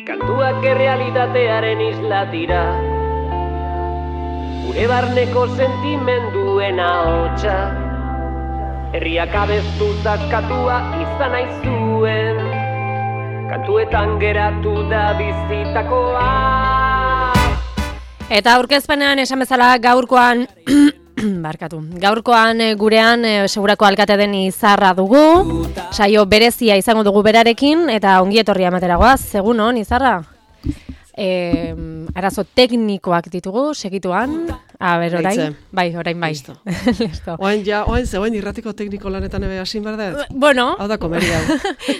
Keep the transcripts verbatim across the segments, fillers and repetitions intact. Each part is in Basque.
Kantuak errealitatearen isla dira, gure barneko sentimenduen ahotsa, herriak abestu zaskatua izan nahi zuen, kantuetan geratu da bizitakoa. Eta aurkezpenean esan bezala gaurkoan barkatu. Gaurkoan gurean e, segurako alkate den Izarra dugu. Saio berezia izango dugu berarekin eta ongi etorria ematera goaz. Egun on, Izarra? E, arazo teknikoak ditugu, segituan. A ber, orain? Bai, orain bai. Listo. Listo. Oain ja, oain zegoen irratiko tekniko lanetan ebe hasin berdet? Bueno. Hau da komeria.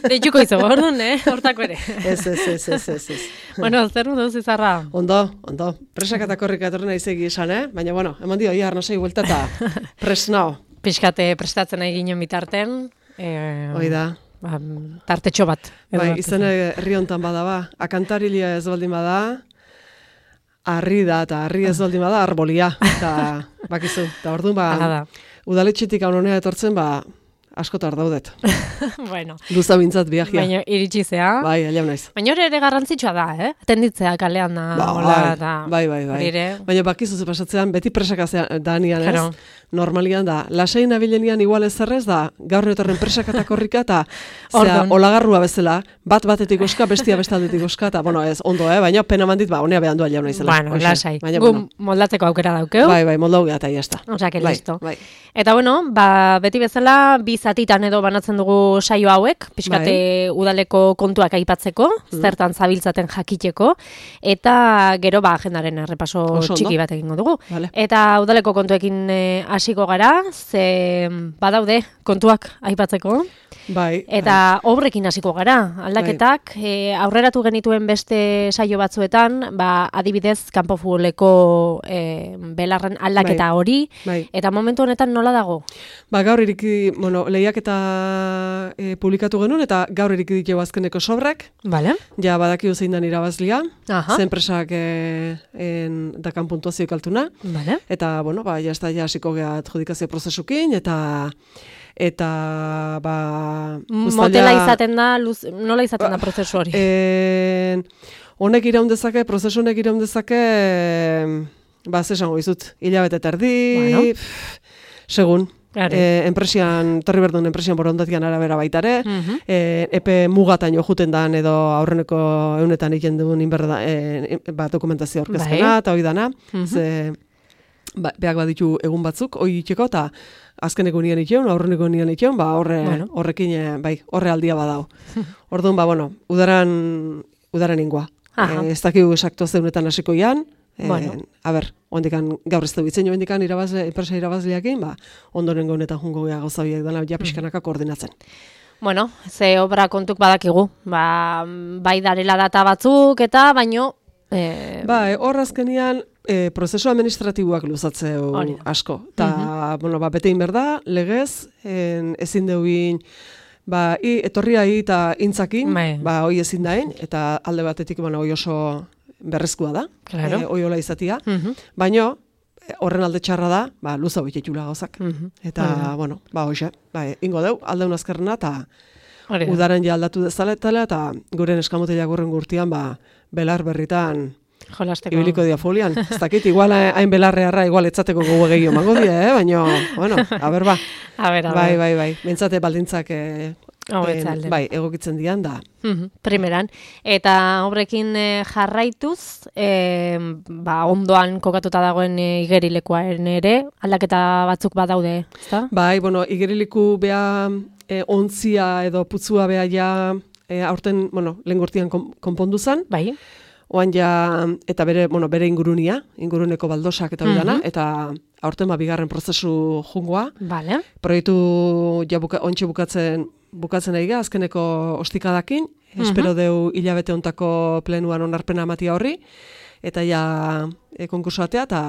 Deituko izo, orduan, eh? Hortako ere. Ez, ez, ez, ez, ez, ez. Bueno, zer duz, Izarra? Ondo, ondo. Presak eta korrik etorri naizegi esan, eh? Baina, bueno, eman dio, ia, arnazai buelta eta presnao. Piskate prestatzen nahi ginen bitarten. Eh, Hoi da. Ba, tartetxo bat. Bai, izan herri hontan bada ba. Akantarilia ez baldin bada, harri da, eta harri ez baldin bada, arbolia. Eta, bakizu, eta orduan ba, udaletxetik haunonea etortzen, ba, askotar daudet. Bueno. Luza bintzat biagia. Baina iritsi zea. Bai, aliam naiz. Baina hori ere garrantzitsua da, eh? Atenditzea kalean da. Ba, hola, eta bai, bai, bai. Ere. Baina bakizu ze pasatzean, beti presaka danian, ez? Normalian da. Lasai nabilenian igual ez zerrez da, gaur netorren presaka eta korrika, eta zera, olagarrua bezala, bat batetik oska, bestia bestaldetik oska, eta, bueno, ez, ondo, eh? Baina pena mandit, ba, honea behan du aliam naizela. Bueno, lasai. Baina, Gu bueno. moldatzeko aukera daukeu. Bai, bai, moldau geha, eta jazta. Osa, que bai, listo. Bai. Eta, bueno, ba, beti bezala, bi zatitan edo banatzen dugu saio hauek, pixkate bai. Udaleko kontuak aipatzeko, mm. zertan zabiltzaten jakiteko, eta gero, ba, agendaren errepaso Oso txiki bat egingo dugu. Vale. Eta udaleko kontuekin hasiko e, gara, ze badaude kontuak aipatzeko. Bai. Eta bai. Obrekin hasiko gara. Aldaketak bai. e, aurreratu genituen beste saio batzuetan, ba, adibidez kanpo futboleko e, belarren aldaketa bai. Hori. Bai. Eta momentu honetan nola dago? Ba, gaur iriki, bueno, lehiaketa e, publikatu genuen eta gaur iriki ditu azkeneko sobrak. Vale. Ja badakigu zein dan irabazlia. Aha. Zen presak e, en, dakan puntuazio kaltuna. Vale. Eta, bueno, ba, jazta ja hasiko geha adjudikazio prozesukin, eta eta ba motela izaten da, luz, nola izaten da prozesu hori? Eh, honek iraun dezake, prozesu honek iraun dezake, ba, zesango izut, hilabete terdi, bueno. Segun. E, enpresian, torri berdun enpresian borondatian arabera baitare, uh -huh. e, epe mugatan jo juten dan edo aurreneko eunetan iken duen inberda, e, ba, dokumentazio orkezpena, eta hoi dana, uh -huh. ze ba, beak baditu egun batzuk, hoi itxeko, eta azkeneko nian itxeun, aurreneko nian itxeun, ba, horre, bueno. horrekin, bai, horre aldia badao. Orduan, ba, bueno, udaran, udaran ingua. E, ez dakigu esaktu zeunetan hasiko ian, bueno. E, a ber, ondikan gaur ez du bitzen jo ondikan irabazle, enpresa irabazleakin, ba, ondorengo honetan jungo gea gauzabiak dela, ja pixkanaka koordinatzen. Bueno, ze obra kontuk badakigu, ba, bai darela data batzuk eta baino... E... Ba, hor e, azkenian, e, prozesu administratiboak luzatzeu asko. Eta, uh -huh. bueno, ba, bete inberda, legez, en, ezin deuin, ba, i, etorria hi eta intzakin, Mai. ba, hoi ezin dain, eta alde batetik, bueno, hoi oso berrezkoa da, claro. e, hoi hola izatia, uh -huh. baino, horren alde txarra da, ba, luza hoitetxula gauzak. Uh -huh. Eta, uh -huh. bueno, ba, hoxe, ba, ingo deu, aldeun azkarrena, eta udaren ja aldatu dezaletela, eta guren eskamotela gurren gurtian, ba, belar berritan jolasteko. Ibiliko dia folian. Ez dakit, igual hain belarrearra, igual etzateko gogo gehiago mango dia, eh? Baina, bueno, a ber, ba. A ber, a ber. Bai, bai, bai. Bentsate baldintzak eh, oh, en, bai, egokitzen dian da. Uh-huh. Primeran. Eta horrekin eh, jarraituz, eh, ba, ondoan kokatuta dagoen eh, igerilekoaren ere, aldaketa batzuk badaude, ezta? Bai, bueno, igeriliku bea eh, ontzia edo putzua bea ja E, aurten, bueno, lehen gurtian konpondu zen. Bai. Oan ja, eta bere, bueno, bere ingurunia, inguruneko baldosak eta bidana, uh-huh. eta aurten ba bigarren prozesu jungoa. Vale. Proiektu ja buka, ontsi bukatzen, bukatzen nahi ga, azkeneko ostikadakin. Uh-huh. Espero deu hilabete ontako plenuan onarpena amatia horri. Eta ja e, konkurso atea eta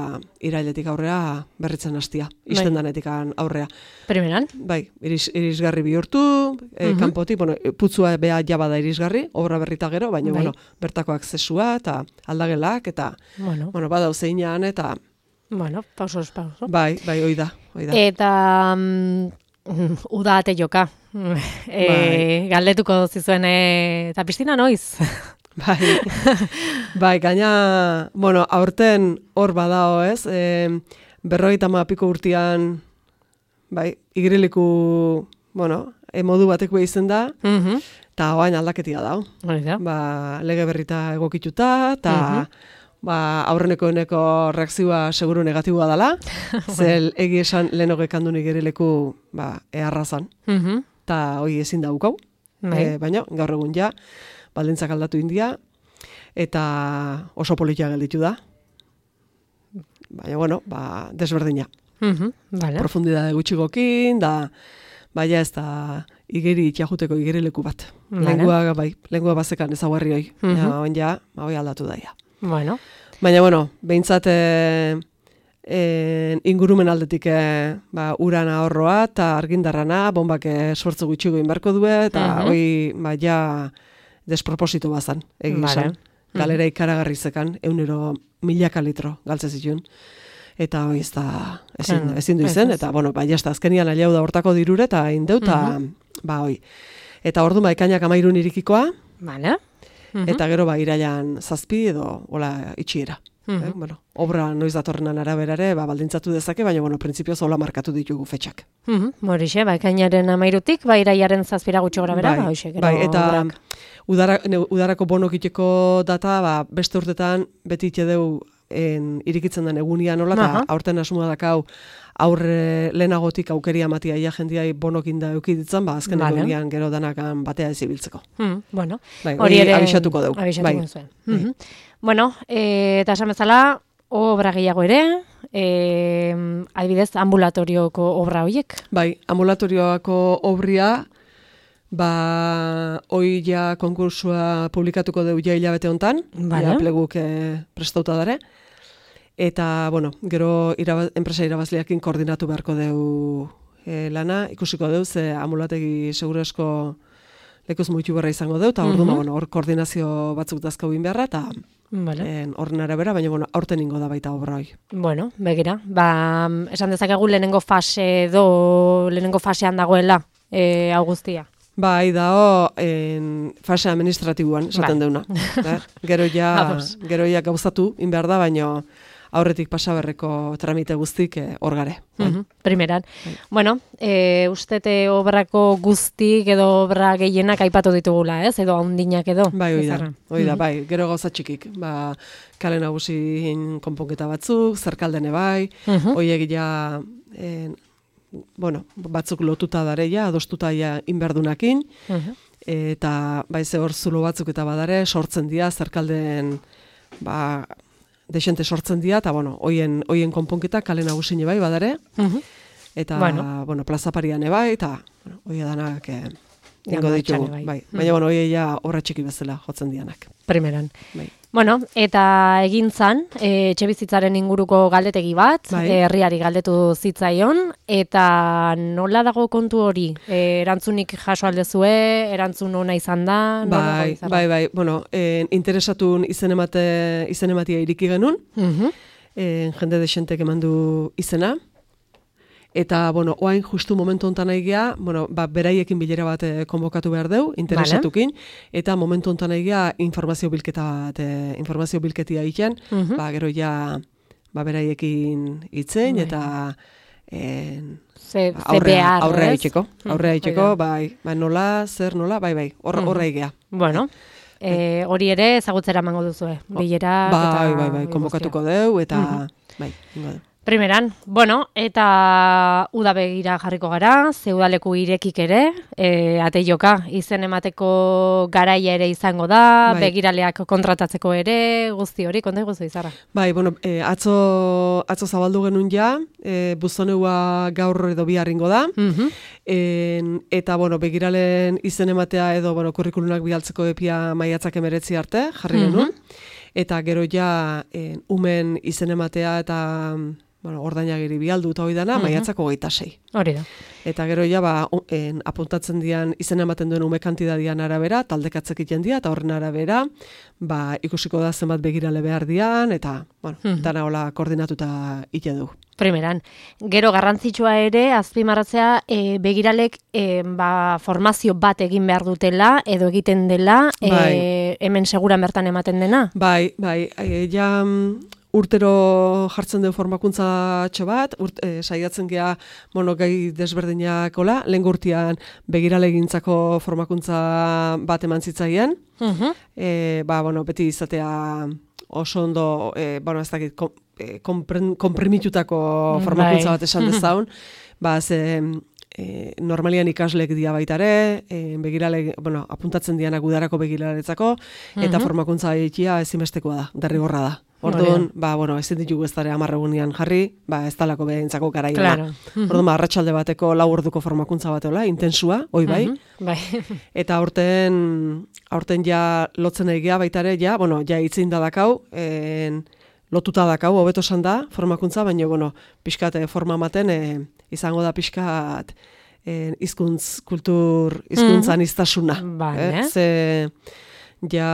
irailetik aurrea berritzen hastia. Isten bai. Danetik aurrea. Primeran? Bai, iris, irisgarri bihurtu, e, uh-huh. kanpotik, bueno, putzua beha jaba da irisgarri, obra berrita gero, baina, bai. bueno, bertako aksesua eta aldagelak, eta, bueno, bueno badau zeinan, eta... Bueno, pausos, pauso. Bai, bai, hoi da, hoi da. Eta... Um, uda ate joka. e, bai. Galdetuko zizuen, e, eta piztina noiz? Bai, bai, gaina, bueno, aurten hor badao, ez? E, berrogeita hamaika piko urtean, bai, igerileku, bueno, e, modu bateko izen da, eta mm-hmm. oain aldaketia dao. Ba, lege berrita egokituta, eta mm-hmm. ba, aurreneko eneko reakzioa seguru negatiboa dela, zel egi esan lehen hogekandun igerileku ba, eharrazan, eta mm-hmm. hoi ezin daukau, e, baina gaur egun ja, baldintzak aldatu india, eta oso politia gelditu da. Baina, bueno, ba, desberdina. Uh-huh, vale. Profundidade gutxigokin, da, baina ez da igeri itxajuteko igerileku bat. Vale. Lengua, bai, lengua bazekan ezaguarri hoi. Uh-huh. Ja, oin ja, ba, hoi aldatu daia. Bueno. Baina, bueno, behintzat e, e, ingurumen aldetik e, ba, uran ahorroa eta argindarrana, bombak sortzu gutxigo inbarko du, eta uh-huh. hoi, ba, ja, desproposito bazan, egin vale. Zan. Galera ikaragarri zekan, eunero milaka litro galtze zituen. Eta hoi ez da, ezin, ezin du izen, eta, bueno, ba, jazta, azkenian aliau da hortako dirure, eta indeu, eta, uh-huh. ba, hoi. Eta ordu ba, ikainak amairun irikikoa, vale. uh-huh. eta gero, ba, irailan zazpi edo, hola, itxiera. Uh-huh. Eh? Bueno, obra noiz datorrenan araberare, ba, baldintzatu dezake, baina, bueno, printzipioz hola markatu ditugu fetxak. Uh-huh. Morixe, ba, ikainaren amairutik, ba, iraiaren zazpira gutxo gara bera, bai, ba, hoxe, gero, bai, eta obrak. udara, ne, udarako bonokiteko data, ba, beste urtetan beti itxedeu en, irikitzen den egunian nola, eta aurten asmoa dakau aurre lehenagotik aukeria matia ia jendiai bonokin da eukiditzen, ba, azken vale. Egunian gero danakan batea ez ibiltzeko. Hmm, bueno, bai, hori ere abixatuko deu. Abixatuko bai. Zuen. Bai. Mm-hmm. Bueno, e, eta esan bezala, obra gehiago ere, e, adibidez, ambulatorioko obra horiek? Bai, ambulatorioako obria, ba, hoi ja konkursua publikatuko deu ja hilabete hontan, vale. Ja pleguk e, prestauta dare, eta, bueno, gero iraba, enpresa irabazleakin koordinatu beharko deu e, lana, ikusiko deu, ze ambulategi segurazko lekuz muitu berra izango deu, eta ordu, mm-hmm. bueno, hor koordinazio batzuk dazkau bin beharra, eta vale. Horren arabera, baina bueno, aurten ingo da baita obra hoi. Bueno, begira, ba, esan dezakegu lehenengo fase edo, lehenengo fasean dagoela e, Augustia. Bai, dao, en, fase administratiboan, esaten ba. Deuna. Da? Gero ja, gero ja gauzatu, inbehar da, baina aurretik pasaberreko tramite guztik hor eh, gare. Uh-huh. Primeran. Bai. Bueno, e, ustete obrako guztik edo obra gehienak aipatu ditugula, ez? Edo handinak edo. Bai, hoi da, hoi da, bai. Gero gauza txikik. Ba, kale nagusin konponketa batzuk, zerkaldene bai, uh-huh. Hoiek ja, en, bueno, batzuk lotuta dareia, adostuta ja inberdunakin, uh-huh. Eta bai ze hor zulo batzuk eta badare, sortzen dira, zerkalden, ba, desente sortzen dira, eta, bueno, hoien, hoien konponketa kale nagusine bai badare, uh-huh. Eta, bueno, bueno plaza parian bai, eta, bueno, hoia danak, eh, ingo ditugu, bai. Bai. Uh-huh. Baina, bueno, hoia ja horra txiki bezala jotzen dianak. Primeran. Bai. Bueno, eta egin zan, e, etxebizitzaren inguruko galdetegi bat, bai. Herriari galdetu zitzaion, eta nola dago kontu hori? E, erantzunik jaso aldezue, erantzun ona izan da? Bai, bai, bai, bueno, e, interesatun izen emate, izen ematia iriki genuen, uh-huh. e, jende desentek eman du izena, eta, bueno, oain justu momentu hontan egia, bueno, ba, beraiekin bilera bat eh, konbokatu behar deu, interesatukin, vale. Eta momentu hontan egia informazio bilketa bat, eh, informazio bilketia egiten, uh-huh. Ba, gero ja, ba, beraiekin itzen, eta eh, ze, ba, aurrea, aurrea itxeko, aurrea itxeko, uh-huh. bai, bai, nola, zer, nola, bai, bai, horra uh-huh. egia. Bueno, eh, hori ere ezagutzera emango duzu, bilera, bai, eta... Bai, bai, bai, konbokatuko deu, eta, uh-huh. bai, ingo deu. Primeran, bueno, eta uda begira jarriko gara, ze udaleku irekik ere, e, ate joka, izen emateko garaia ere izango da, bai. Begiraleak kontratatzeko ere, guzti hori, konta iguzu izarra. Bai, bueno, e, atzo, atzo zabaldu genuen ja, e, buzoneua gaur edo biharringo da, uh-huh. e, eta, bueno, begiralen izen ematea edo, bueno, kurrikulunak bialtzeko epia maiatzak emeretzi arte, jarri genuen, uh-huh. Eta gero ja, e, umen izen ematea eta... bueno, ordainagiri bialdu eta hori dana, mm-hmm. maiatzako hogeita sei. Hori da. Eta gero ja, ba, en, apuntatzen dian, izena ematen duen ume kantidadian arabera, taldekatzek iten dia, eta horren arabera, ba, ikusiko da zenbat begirale behar dian, eta, bueno, mm-hmm. dana hola koordinatuta ite du. Primeran. Gero garrantzitsua ere, azpimarratzea, e, begiralek e, ba, formazio bat egin behar dutela, edo egiten dela, bai. e, hemen seguran bertan ematen dena? Bai, bai, e, ja... urtero jartzen du formakuntza txo bat, urt, e, saiatzen gea monogai desberdinakola, lehen gurtian begiralegintzako formakuntza bat eman zitzaien, uh-huh. e, ba, bueno, beti izatea oso ondo, e, bueno, ez dakit, kom, e, kompren, komprimitutako formakuntza bat esan dezaun, ba, ze... E, normalian ikasleek dia baitare, e, begirale, bueno, apuntatzen dianak udarako begiraletzako, eta uh-huh. formakuntza egitea ezinbestekoa da, derrigorra da. Orduan, ba, bueno, ezin ditugu ez dara amarregunian jarri, ba, ez talako behentzako garaia. Claro. Uh-huh. Orduan, ba, arratsalde bateko lau orduko formakuntza bateola, intensua, hoi bai. Uh-huh. Bai. Eta aurten, aurten ja lotzen egia baitare, ja, bueno, ja itzein da dakau, en, lotuta dakau, hobeto esan da, formakuntza, baina, bueno, pixkat forma maten, e, izango da pixkat eh, izkuntz, kultur, izkuntzan mm. iztasuna. Vale. Eh? Ze, ja,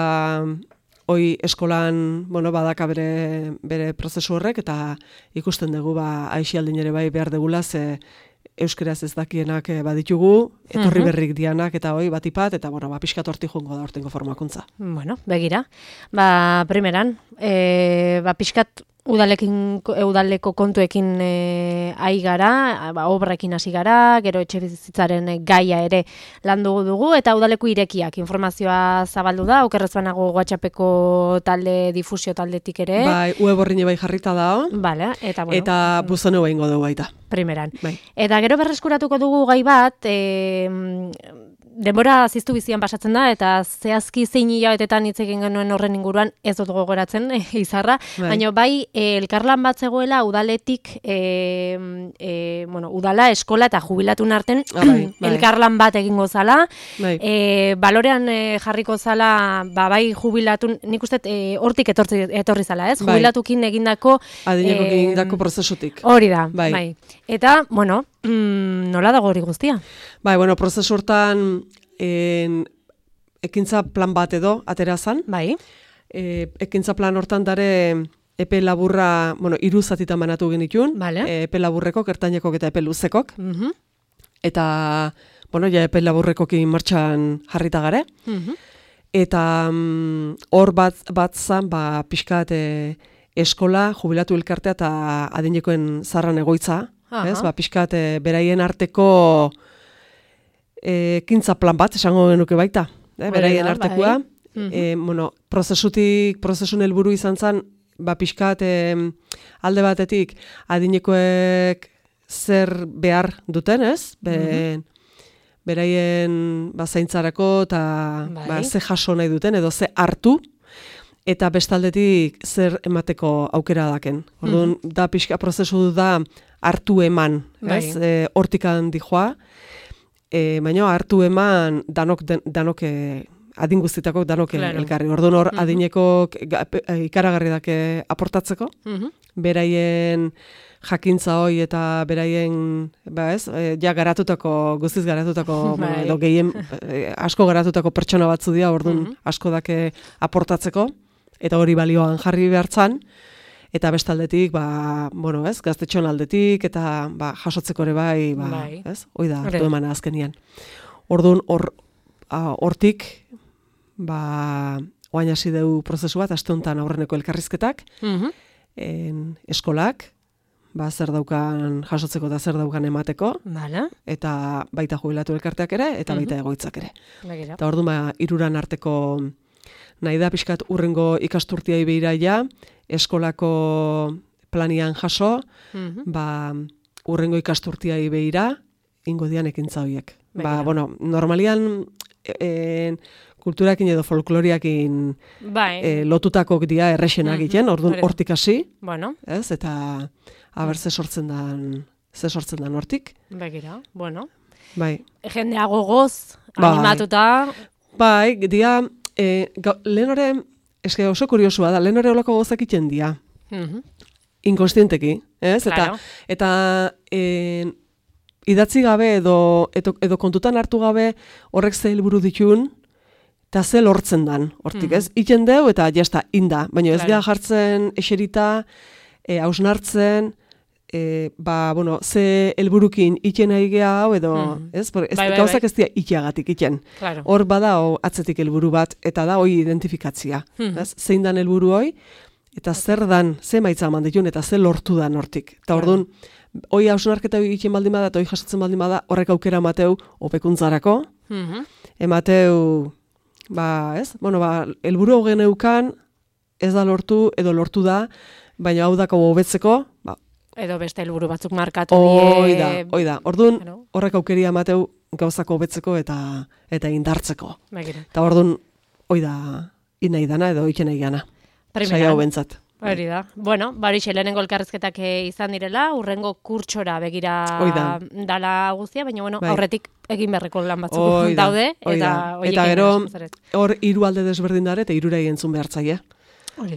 hoi eskolan, bueno, badaka bere, bere prozesu horrek, eta ikusten dugu, ba, aixialdin ere bai behar degula, ze euskeraz ez dakienak baditugu, etorri mm-hmm. berrik dianak, eta hoi batipat, eta, bueno, ba, pixkat horti jongo da hortengo formakuntza. Bueno, begira. Ba, primeran, e, ba, pixkat, Udalekin, udaleko kontuekin e, ai gara, ba, obrekin hasi gara, gero etxe bizitzaren gaia ere landu dugu, eta udaleko irekiak informazioa zabaldu da, okerrez banago WhatsAppeko talde, difusio taldetik ere. Bai, web horri bai jarrita da. Vale, eta bueno. Eta buzone behingo dugu baita. Primeran. Bai. Eta gero berreskuratuko dugu gai bat, e, denbora ziztu bizian pasatzen da, eta zehazki zein hilabetetan hitz egin genuen horren inguruan ez dut gogoratzen, e, izarra, bai. Baina bai, e, elkarlan bat zegoela udaletik, e, e, bueno, udala, eskola eta jubilatun arten ah, bai, bai. elkarlan bat egingo zala, bai. e, balorean e, jarriko zala, ba, bai jubilatun, nik uste e, hortik etorri, etorri zala, ez? Bai. Jubilatukin egindako... Adinekokin e, egindako prozesutik. Hori da, bai. bai. Eta, bueno, mm, nola dago hori guztia? Bai, bueno, prozesu hortan en, ekintza plan bat edo atera zan. Bai. E, ekintza plan hortan dare epe laburra, bueno, hiru zatitan banatu genitun. Vale. E, epe laburrekok, ertainekok eta epe luzekok. Uh-huh. Eta, bueno, ja epe laburrekokin martxan jarrita gare. Uh-huh. Eta hor mm, bat, bat zan, ba, pixkat e, eskola, jubilatu elkartea eta adinekoen zarran egoitza. Ez, ba, pixkat, e, beraien arteko e, ekintza plan bat, esango genuke baita. E, beraien artekoa. Bai. E, bueno, prozesutik, prozesun helburu izan zen, ba, pixkat, e, alde batetik, adinekoek zer behar duten, ez? Be, mm-hmm. Beraien ba, zaintzarako eta bai. ba, ze jaso nahi duten, edo ze hartu, eta bestaldetik zer emateko aukera daken. Orduan, mm-hmm. da pixka prozesu da hartu eman, bai. Ez? E, hortikan dijoa, e, baina hartu eman danok, den, danok e, adin guztietako danok claro. elkarri. Orduan hor, mm-hmm. adinekok ikaragarri dake aportatzeko, mm-hmm. beraien jakintza hoi eta beraien, ba ez, e, ja garatutako, guztiz garatutako, bai. edo gehien e, asko garatutako pertsona batzu dira, orduan mm-hmm. asko dake aportatzeko, eta hori balioan jarri behartzan, eta bestaldetik, ba, bueno, ez, gaztetxon aldetik, eta ba, jasotzeko ere bai, ba, bai. Ez, hoi da, hartu emana azkenian. Orduan, hor, hortik, ba, oain hasi deu prozesu bat, aste honetan aurreneko elkarrizketak, mm-hmm. en, eskolak, ba, zer daukan jasotzeko eta zer daukan emateko, vale. Eta baita jubilatu elkarteak ere, eta baita mm-hmm. egoitzak ere. Begira. Eta orduan, ba, iruran arteko nahi da pixkat urrengo ikasturtiai behira ja, eskolako planian jaso, mm-hmm. ba, urrengo ikasturtiai behira, ingo dian ekintza horiek. Ba, bueno, normalian e, kulturakin edo folkloriakin bai. e, lotutakok dia errexenak egiten, mm-hmm. orduan hortik hasi, bueno. Ez, eta haber ze sortzen dan, ze sortzen dan hortik. Begira, bueno. Bai. Jendea gogoz, animatuta. Bai, dia, e, ga, lehen hori, eske oso kuriosua da, lehen hori olako gozak iten dia. Mm-hmm. inkonstienteki, ez? Claro. Eta, eta en, idatzi gabe edo, edo, edo kontutan hartu gabe horrek ze helburu ditun, eta ze lortzen dan, hortik, ez? Mm-hmm. Iten deu eta jazta, inda, baina ez claro. jartzen eserita, e, hausnartzen, e, ba, bueno, ze helburukin iten nahi geha hau edo, mm-hmm. ez? Por, ez bai, bai, gauzak bai. Ez dira itiagatik iten. Claro. Hor bada o, atzetik helburu bat, eta da hoi identifikatzia, mm-hmm. ez? Zein dan helburu hoi, eta zer dan, ze maitza eman ditun, eta ze lortu dan hortik. Eta hor dun, hoi hausnarketa hoi egiten baldin bada, eta hoi jasotzen baldin bada, horrek aukera emateu hobekuntzarako, mm-hmm. emateu, ba, ez? Bueno, ba, helburu hogen eukan, ez da lortu, edo lortu da, baina hau dako hobetzeko, ba, edo beste helburu batzuk markatu. Hoi da, hoi da. Orduan, horrek aukeria emateu gauzako hobetzeko eta eta indartzeko. Eta orduan, hoi da, inai dana edo iken nahi gana. Saia hau bentzat. Hori da. Bueno, barixe, lehenengo elkarrezketak izan direla, urrengo kurtsora begira dala guztia, baina bueno, bai. Aurretik egin beharreko lan batzuk oida, daude. Eta, eta gero, hor hiru alde desberdin dara eta hirura entzun behartzaile.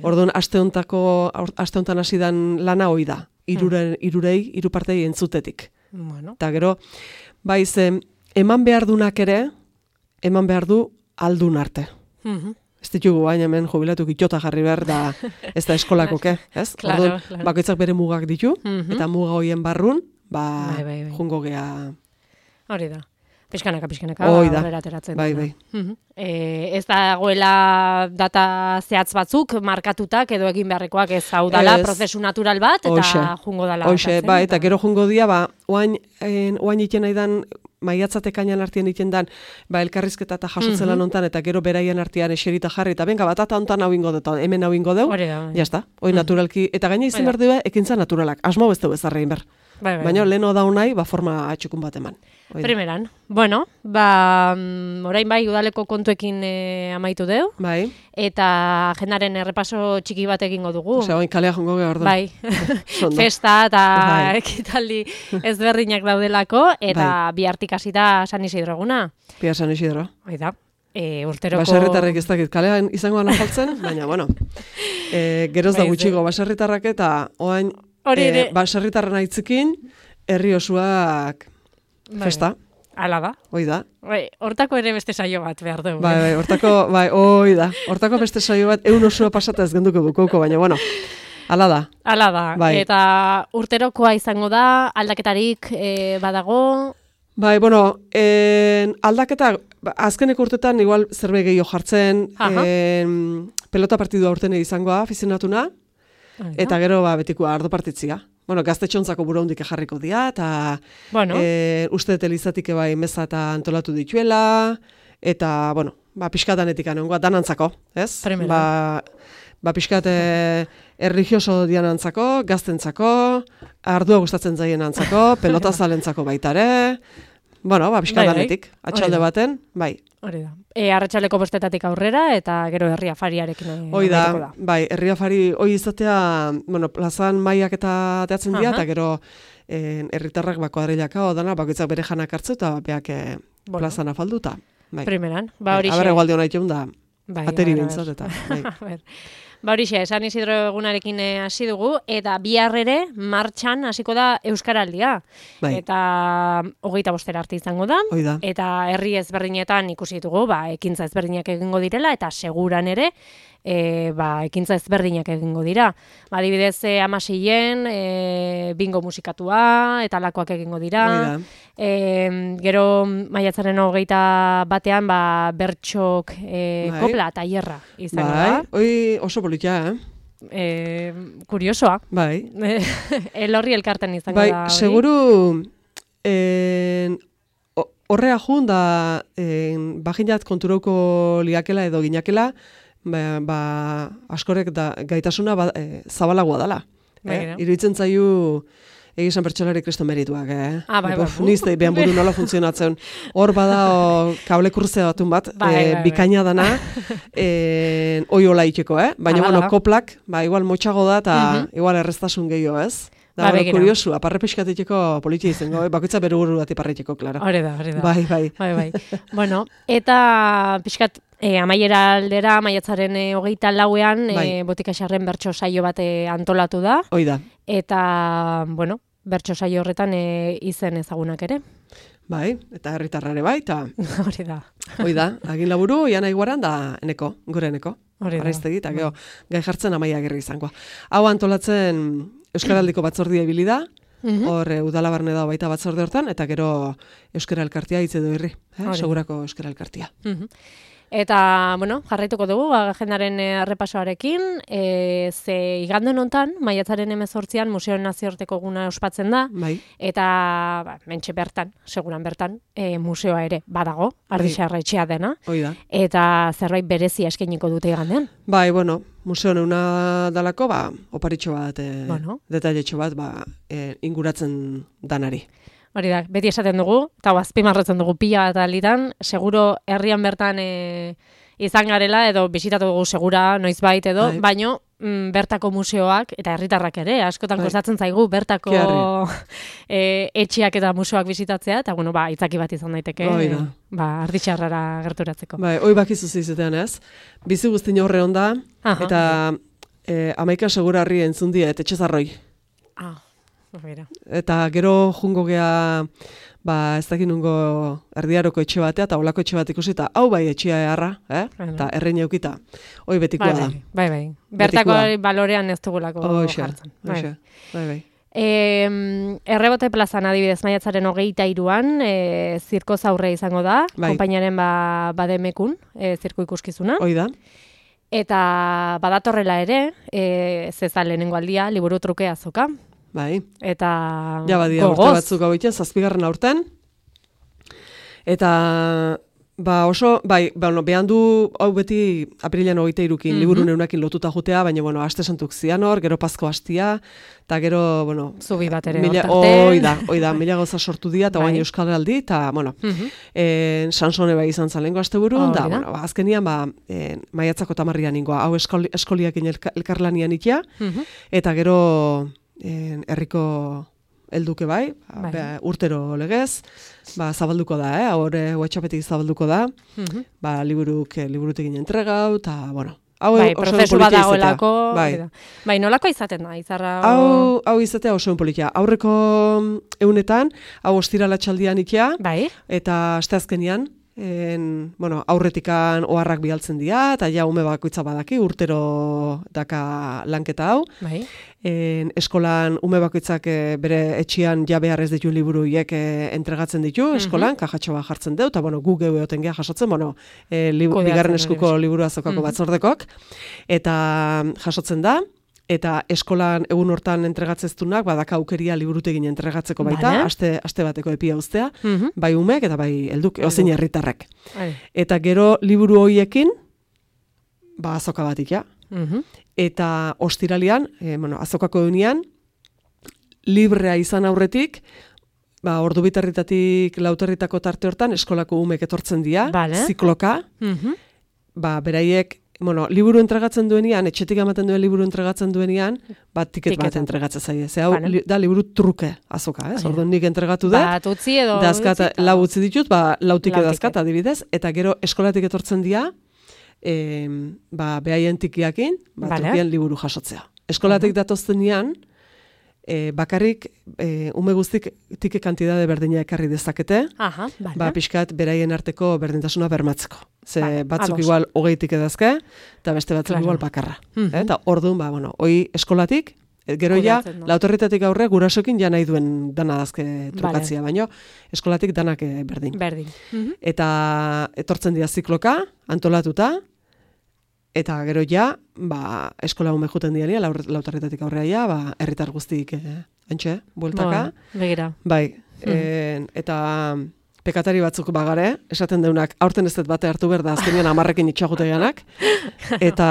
Orduan, aste hontako, aste hontan hasi dan lana hoi da. Iruren, irurei, hiru partei entzutetik. Bueno. Eta gero, bai ze, eman behar dunak ere, eman behar du aldun arte. Mhm. Ez ditugu baina hemen jubilatu itota jarri behar da ez da eskolakoke, ez? Claro, Orduan, claro. Bakoitzak bere mugak ditu, mm-hmm. eta muga hoien barrun, ba, bai, bai, bai. jungo gea. Hori da. Piskanaka, piskanaka, aurrera ateratzen. Bai, bai. Mm-hmm. E, ez dagoela data zehatz batzuk, markatutak edo egin beharrekoak ez hau dala, ez. Prozesu natural bat, eta Oixe. Jungo dala. Hoxe, bai, eta gero jungo dia, ba, oain, en, oain iten nahi dan, maiatzatek ainan artean iten dan, ba, elkarrizketa eta jasotzela mm-hmm. nontan, eta gero beraien artean eserita jarri, eta benga, bat, eta ontan hau ingo dut, hemen hau ingo deu, jazta, hoi mm-hmm. naturalki, eta gaina izan behar dugu, ekintza naturalak, asmo beste bezarrein behar. Bai, bai, baina leheno daun nahi, ba, forma atxukun bat eman. Oida. Primeran. Bueno, ba, orain bai udaleko kontuekin e, amaitu deu. Bai. Eta agendaren errepaso txiki bat egingo dugu. Osea, oin kalea jongo geha orduan. Bai. Festa eta bai. Ekitaldi ezberdinak daudelako, eta bai. Bihartik hasita San Isidro eguna. Bihar San Isidro. Oida. E, urteroko... Baserritarrek ez dakit, kalean izango gana jaltzen, baina, bueno, e, geroz da gutxiko baserritarrak eta oain e, baserritarren aitzikin, herri osuak festa. Hala da. Hoi da. Bai, hortako ere beste saio bat behar dugu. Bai, bai, hortako, bai, hoi da. Hortako beste saio bat, egun osua pasata ez genduko bukauko, baina, bueno, hala da. Hala da. Bai. Eta urterokoa izango da, aldaketarik e, badago... Bai, bueno, en, aldaketa, azkeneko urtetan igual zerbait gehiago jartzen, en, pelota partidua urtene izangoa, afizionatuna, eta gero ba, betiko ardo partitzia. Bueno, gaztetxontzako buraundik jarriko dira, eta bueno. e, uste dut bai meza eta antolatu dituela, eta, bueno, ba, pixkatanetik anongoa, danantzako, ez? Primera. Ba, ba pixkat e, erligioso dianantzako, gaztentzako, ardua gustatzen zaien antzako, pelota zalentzako baitare, bueno, ba, pixkatanetik, atxalde baten, bai. Hori da. E, arratsaleko bostetatik aurrera, eta gero herri afariarekin. Hoi da, da, bai, herri afari, hoi izatea, bueno, plazan maiak eta teatzen dira, eta gero herritarrak ba, kuadrilaka, odana, bakoitzak bere janak hartzu, eta beak e, bueno. Plazan afalduta. Bai. Primeran, ba hori xe. Aberre gualde hona itxeun da, bai, ateri bintzat, eta. Bai. Ba horixe, San Isidro egunarekin hasi dugu, eta bihar ere martxan hasiko da Euskaraldia. Bai. Eta hogeita bostera arte izango da. Oida. Eta herri ezberdinetan ikusi ditugu, ba, ekintza ezberdinak egingo direla, eta seguran ere, e, ba, ekintza ezberdinak egingo dira. Ba, adibidez, e, amaseien, e, bingo musikatua, eta lakoak egingo dira. E, gero, maiatzaren hogeita batean, ba, bertxok e, bai. Kopla eta hierra izango bai. da. Oi, oso politia, eh? E, kuriosoa. Bai. Elorri elkarten izango bai, da. Bai, seguru, horrea jun da, bajinat konturauko liakela edo ginakela, ba, ba askorek da, gaitasuna ba, e, zabalagoa dela. Eh? Iruditzen zaiu, egizan pertsolari kristo merituak, eh? Ah, bai, bai. Nizte, behan buru nola funtzionatzen. Hor bada, o, kable kurzea batun bat, bai, e, bai, bikaina dana, e, oi hola itxeko, eh? Baina, bueno, koplak, ba, igual motxago da, eta uh-huh. igual erreztasun gehiago, ez? Da, ba, kuriosu, aparre pixkatiteko politia izango, bakoitza bere buru bat iparreteko, klaro. Hore da, hore da. Bai, bai. Bai, bai. Bueno, eta pixkat, E, amaiera aldera, maiatzaren e, hogeita lauean, bai. e, Botika Xarren bertso saio bat e, antolatu da. Hoi da. Eta, bueno, bertso saio horretan e, izen ezagunak ere. Bai, eta herritarrare bai, eta... Hori da. Hoi da, agin laburu, ian aiguaran da eneko, gure eneko. Hori da. Arraiztegi, eta geho, gai jartzen amaia gerri izango. Hau antolatzen Euskaraldiko batzordia ibili da, hor mm -hmm. udala barne da baita batzorde hortan, eta gero Euskara Elkartia hitz edo irri, eh? Segurako Euskara Elkartia. Mm -hmm. Eta, bueno, jarraituko dugu, agendaren errepasoarekin, e, ze igande hontan, maiatzaren hemezortzian, Museoen Nazioarteko eguna ospatzen da, bai. Eta, ba, mentxe bertan, seguran bertan, e, museoa ere badago, Ardixarra etxea dena, da. Eta zerbait berezia eskainiko dute igandean. Bai, bueno, museo neuna dalako, ba, oparitxo bat, e, bueno. detailetxo bat, ba, e, inguratzen danari. Hori da, beti esaten dugu, eta azpimarratzen dugu pila bat alitan, seguro herrian bertan e, izan garela, edo bisitatu dugu segura, noizbait edo, Ai. baino mm, bertako museoak, eta herritarrak ere, askotan Ai. kostatzen zaigu, bertako e, etxeak eta museoak bisitatzea, eta bueno, ba, itzaki bat izan daiteke, e, ba, Ardixarrara gerturatzeko. Bai, hoi bakizu zizetean ez, bizi guztin horre onda, Aha. eta e, amaika segura harri entzun diet, etxezarroi. Ah. Bera. Eta gero jungo gea, ba, ez dakit nungo erdiaroko etxe batea, eta olako etxe bat ikusi, eta hau bai etxea eharra, eh? Eta errein eukita. Hoi betikoa da. Bai, bai. Bertako balorean ez dugulako jartzen. Bai, bai, bai. E, Errebote plazan adibidez maiatzaren hogeita iruan, e, zirko zaurre izango da, bai. Konpainaren ba, bademekun, e, zirko ikuskizuna. Hoi da. Eta badatorrela ere, e, zeza lehenengo aldia, liburu truke azoka. Bai. Eta ja, badia, urte batzuk hau iten, zazpigarren aurten. Eta, ba, oso, bai, ba, no, behan du, hau beti apirilean hogeita irukin, mm -hmm. liburu neunakin lotuta jutea, baina, bueno, aste santuk zian hor, gero Pasko hastia, eta gero, bueno... Zubi bat ere mila, hortarte. Oi da, oi da, mila goza sortu dia, eta bai. Baina Euskal Aldi, eta, bueno, mm -hmm. e, Sansone bai izan zalengo aste burun, da, bueno, ba, azkenian, ba, e, maiatzako tamarrian ingoa, hau eskoli, eskoliakin elka, elkarlanian ikia, mm -hmm. eta gero... herriko helduke bai, bai. Ba, urtero legez, ba, zabalduko da, eh? Hore WhatsAppetik zabalduko da, uh-huh. ba, liburuk, liburutik ginen entregau, eta, bueno, hau bai, oso prozesu bat dagoelako, bai. Bai, nolako izaten da, izarra? Hau, hau izatea oso politia. Aurreko egunetan, hau ostirala txaldian ikia, bai. Eta asteazkenian, En, bueno, aurretikan oharrak bialtzen dira, eta ja ume bakoitza badaki, urtero daka lanketa hau. Bai. En, eskolan ume bakoitzak e, bere etxian ja behar ez ditu liburuiek e, entregatzen ditu, eskolan, mm-hmm. kajatxo bat jartzen deu, eta bueno, gu geu eoten geha jasotzen, bueno, e, li, bigarren eskuko liburu azokako mm-hmm. batzordekok, eta jasotzen da, eta eskolan egun hortan entregatzeztunak, badaka aukeria liburutegin entregatzeko baita, vale. aste, aste bateko epia uztea, mm-hmm. bai umek eta bai helduk, ozein herritarrek. Eta gero liburu hoiekin, ba azoka batik, ja. Mm-hmm. Eta ostiralian, e, bueno, azokako egunean, librea izan aurretik, ba, ordu bitarritatik lauterritako tarte hortan, eskolako umek etortzen dira, vale. Zikloka, mm-hmm. ba, beraiek, bueno, liburu entregatzen duenean, etxetik ematen duen liburu entregatzen duenean, bat tiket bat entregatzen zaie. Ze hau vale. Da liburu truke azoka, eh? Orduan nik entregatu dut. Bat utzi edo dazkat, lau utzi ditut, ba, lautik edazkat adibidez, eta gero eskolatik etortzen dira, eh, ba, behaien tikiakin, ba, vale. Trukean liburu jasotzea. Eskolatik uh-huh. datoztenean, E, bakarrik e, ume guztik tike kantidade berdina ekarri dezakete, Aha, vale. Ba, pixkat beraien arteko berdintasuna bermatzeko. Ze vale, batzuk ados. Igual hogeitik edazke, eta beste batzuk claro. Igual bakarra. Uh-huh. Eta orduan, ba, bueno, hoi eskolatik, gero ja, no? Lautorritatik aurre gurasokin ja nahi duen dana dazke trukatzia, vale. Baino eskolatik danak berdin. Berdin. Uh-huh. Eta etortzen dira zikloka, antolatuta, eta gero ja, ba, eskola ume juten diania, lautarretatik aurrea ja, ba, herritar guztik, eh, antxe, bueltaka. Begira. Bai, hmm. en, eta pekatari batzuk bagare, esaten deunak, aurten ez dut bate hartu behar da, azkenean amarrekin itxaguteganak. Eta,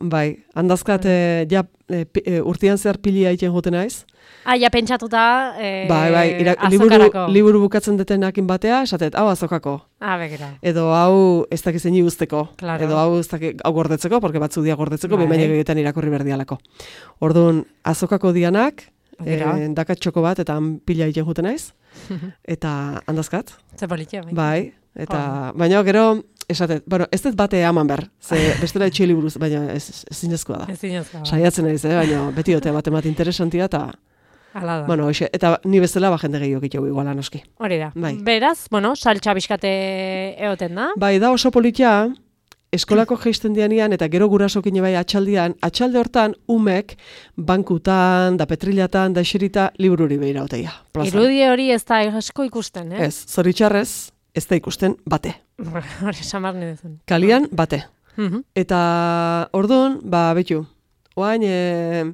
bai, handazkat, eh, ja, eh, urtean zehar pilia iten juten naiz. Ah, ja pentsatuta eh, bai, bai, ira, liburu, liburu bukatzen detenakin batea, esatet, hau azokako. Ah, begira. Edo hau ez dakizen usteko. Claro. Edo hau ez dakik, hau gordetzeko, porque batzu dia gordetzeko, bai. Behin egiten irakurri berdialako. Orduan, azokako dianak, E, dakat txoko bat, eta han pila egiten juten naiz, eta handazkat. Ze politia, bai. Bai, eta, baina gero, esatet, bueno, ez dut bate eman behar, ze bestela etxe liburuz, baina ez, ez zinezkoa da. Ez zinezkoa. Saiatzen naiz, eh? Baina beti dote bat emat interesantia, eta... Ala da. Bueno, oixe, eta ni bezala ba jende gehiago egiteko iguala noski. Hori da. Bai. Beraz, bueno, saltxa bizkate eoten da. Bai, da oso politia, eskolako geisten dianian, eta gero gurasokin bai atxaldian, atxalde hortan umek bankutan, da petrilatan, da eserita libururi behira oteia. Irudi hori ez da asko ikusten, eh? Ez, zoritxarrez, ez da ikusten bate. Hori, samarne dezun. Kalian, bate. Uh-huh. Eta orduan, ba, betu, oain, e,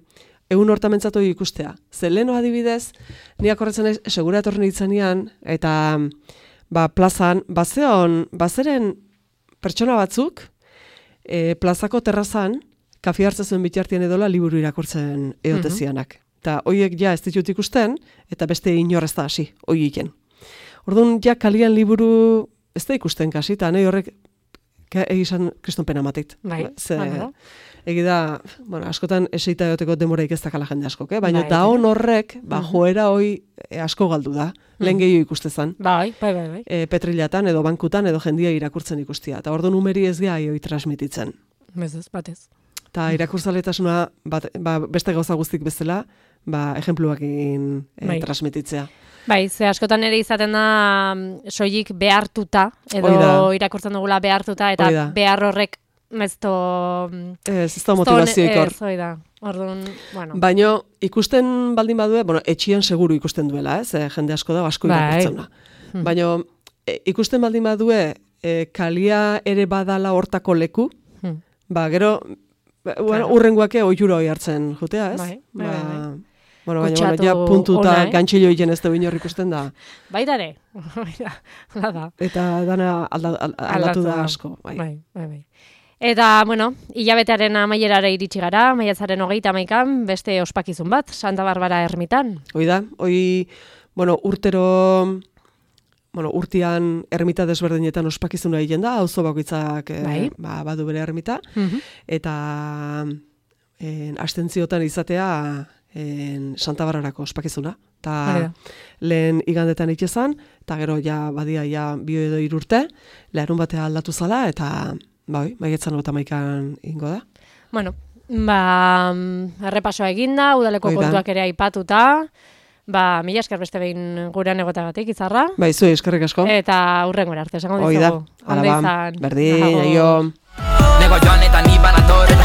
egun hortamentzatu ikustea. Ze leheno adibidez, niak horretzen ez, segura etorren itzanean, eta ba, plazan, bazeon, bazeren pertsona batzuk, e, plazako terrazan, kafi hartzen zuen bitartien edola liburu irakurtzen eotezianak. Eta hoiek ja ez ditut ikusten, eta beste inorrez da hasi, hoieken. Orduan, ja kalian liburu ez da ikusten kasi, eta nahi horrek egizan kriston pena matit. Bai, Ze, bueno. Egi da, bueno, askotan eseita egoteko demoraik ez dakala jende askok, eh? Baina bai, da hon horrek, ba, uh-huh. joera hoi e, asko galdu da, lehen gehiago ikustezan. Bai, bai, bai. bai. E, petrilatan edo bankutan edo jendia irakurtzen ikustia. Eta orduan umeri ez gai hoi transmititzen. Bezez, batez. Eta irakurtzaletasuna bat, ba, beste gauza guztik bezala, ba, ejempluakin e, Bai. transmititzea. Bai, ze askotan ere izaten da mm, soilik behartuta, edo irakurtzen dugula behartuta, eta Hoi da. behar horrek ez to... Ez, ez da motivazioik hor. Ez, hoi da. Orduan, bueno. Baina ikusten baldin badue, bueno, etxian seguru ikusten duela, ez? E, jende asko da, asko Bai. irakurtzen da. Hmm. Baina e, ikusten baldin badue, e, kalia ere badala hortako leku, Hmm. ba, gero, ba, bueno, Claro. urrengoake ohiura hoi hartzen jutea, ez? Bai, bai, ba, bai, bai. Bueno, baina, Kutsatu bueno, ja puntuta ona, eh? gantxillo hilen ez da inor ikusten da. Baita ere, hala da. Eta dana alda, al, aldatu da asko. Bai. Bai, bai, bai. Eta, bueno, hilabetearen amaierara iritsi gara, maiatzaren hogeita hamaikan, beste ospakizun bat, Santa Barbara ermitan. Hoi da, hoi, bueno, urtero, bueno, urtean ermita desberdinetan ospakizuna egiten da, auzo bakoitzak eh, Bai. ba, badu bere ermita, Mhm. eta en, astentziotan izatea en, Santa Barbarako ospakizuna. Hori Eta da. lehen igandetan itxezan, eta gero ja badia ja bio edo irurte, leharun batea aldatu zala, eta bai, maietzan eta maikan ingo da. Bueno, ba, mm, errepasoa eginda, udaleko Hoi da. kontuak ere aipatuta, ba, mila esker beste behin gurean egotagatik, Izarra, Bai, zuei eskerrik asko. eta hurrengora arte, esango Hoi da, dizugu. ala Ondo ba, izan. berdin, Agur. aio. Nego joan eta ni banator eta